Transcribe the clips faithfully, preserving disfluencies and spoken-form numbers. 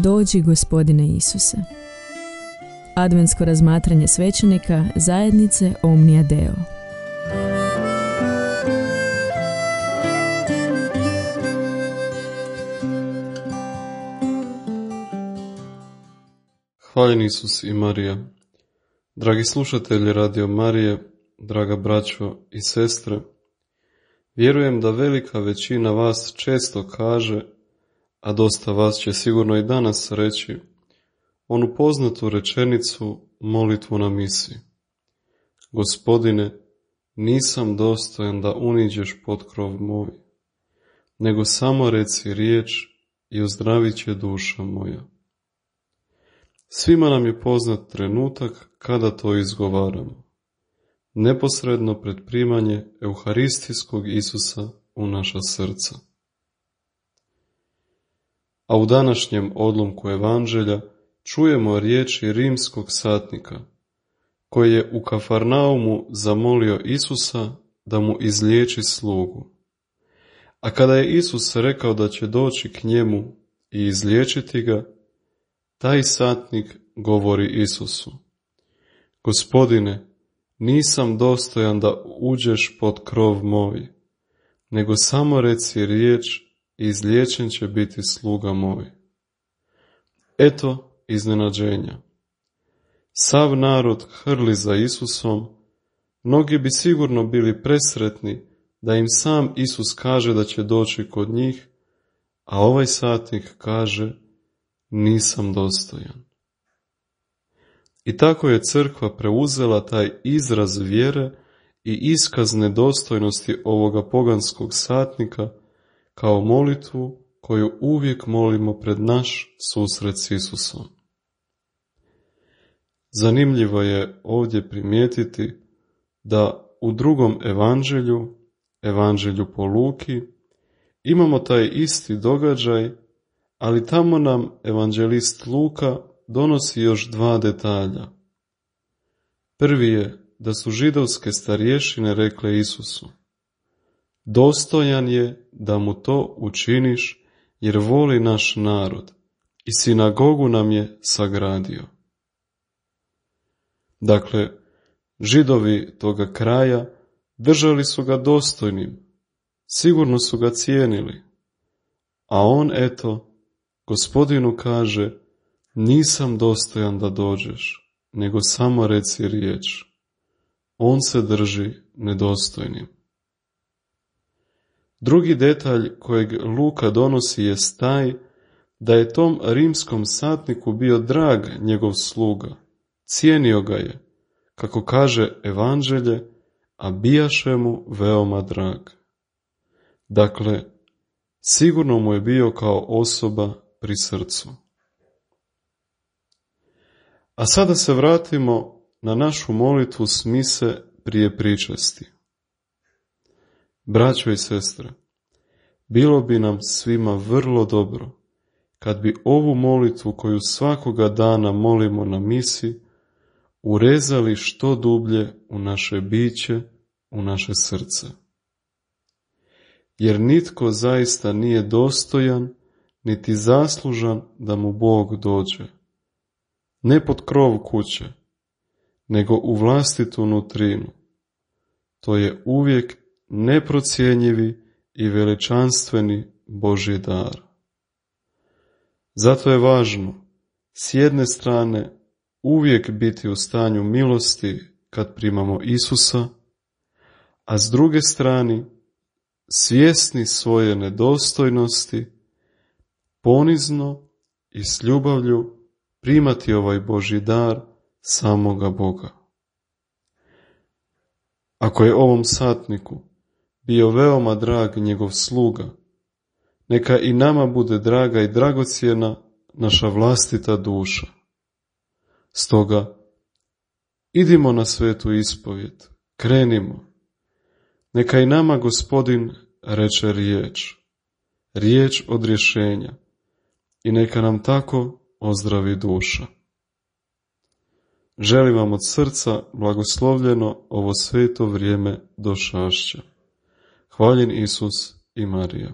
Dođi, Gospodine Isuse. Adventsko razmatranje svećenika zajednice Omnia Deo. Hvaljen Isus i Marija. Dragi slušatelji Radio Marije, draga braćo i sestre, vjerujem da velika većina vas često kaže, a dosta vas će sigurno i danas reći, onu poznatu rečenicu, molitvu na misi. Gospodine, nisam dostojan da uniđeš pod krov moj, nego samo reci riječ i ozdravit će duša moja. Svima nam je poznat trenutak kada to izgovaramo, neposredno pred primanje euharistijskog Isusa u naša srca. A u današnjem odlomku Evanđelja čujemo riječi rimskog satnika, koji je u Kafarnaumu zamolio Isusa da mu izliječi slugu. A kada je Isus rekao da će doći k njemu i izliječiti ga, taj satnik govori Isusu: Gospodine, nisam dostojan da uđeš pod krov moj, nego samo reci riječ i izliječen će biti sluga moj. Eto iznenađenja. Sav narod hrli za Isusom, mnogi bi sigurno bili presretni da im sam Isus kaže da će doći kod njih, a ovaj satnik kaže: nisam dostojan. I tako je crkva preuzela taj izraz vjere i iskaz nedostojnosti ovoga poganskog satnika kao molitvu koju uvijek molimo pred naš susret s Isusom. Zanimljivo je ovdje primijetiti da u drugom evanđelju, evanđelju po Luki, imamo taj isti događaj, ali tamo nam evanđelist Luka donosi još dva detalja. Prvi je da su židovske starješine rekle Isusu: dostojan je da mu to učiniš jer voli naš narod i sinagogu nam je sagradio. Dakle, Židovi toga kraja držali su ga dostojnim, sigurno su ga cijenili, a on eto Gospodinu kaže: nisam dostojan da dođeš, nego samo reci riječ. On se drži nedostojnim. Drugi detalj kojeg Luka donosi jest taj da je tom rimskom satniku bio drag njegov sluga, cijenio ga je, kako kaže Evanđelje, a bijaše mu veoma drag. Dakle, sigurno mu je bio kao osoba pri srcu. A sada se vratimo na našu molitvu s mise prije pričesti. Braćo i sestre, bilo bi nam svima vrlo dobro kad bi ovu molitvu koju svakoga dana molimo na misi urezali što dublje u naše biće, u naše srce. Jer nitko zaista nije dostojan niti zaslužan da mu Bog dođe, ne pod krov kuće, nego u vlastitu nutrinu. To je uvijek neprocjenjivi i veličanstveni Božji dar. Zato je važno s jedne strane uvijek biti u stanju milosti kad primamo Isusa, a s druge strane svjesni svoje nedostojnosti, ponizno i s ljubavlju primati ovaj Božji dar samoga Boga. Ako je ovom satniku bio veoma drag njegov sluga, neka i nama bude draga i dragocjena naša vlastita duša. Stoga, idimo na svetu ispovjed, krenimo. Neka i nama Gospodin reče riječ, riječ odrješenja, i neka nam tako ozdravi duša. Želim vam od srca blagoslovljeno ovo sveto vrijeme došašća. Hvaljen Isus i Marija.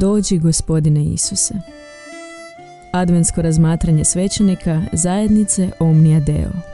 Dođi, Gospodine Isuse. Adventsko razmatranje svećenika zajednice Omnia Deo.